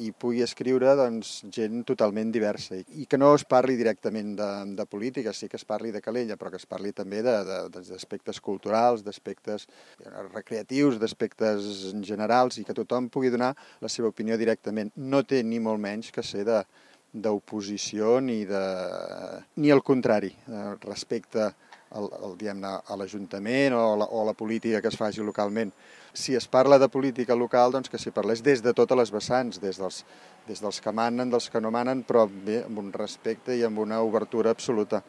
i pugui escriure gent totalment diversa i que no es parli directament de política, sí que es parli de Calella, però que es parli també d'aspectes culturals, d'aspectes recreatius, d'aspectes generals i que tothom pugui donar la seva opinió directament. No té ni molt menys que ser d'oposició ni el contrari respecte diguem-ne, a l'Ajuntament o a la política que es faci localment. Si es parla de política local, doncs que s'hi parlés des de totes les vessants, des dels que manen, dels que no manen, però bé, amb un respecte i amb una obertura absoluta.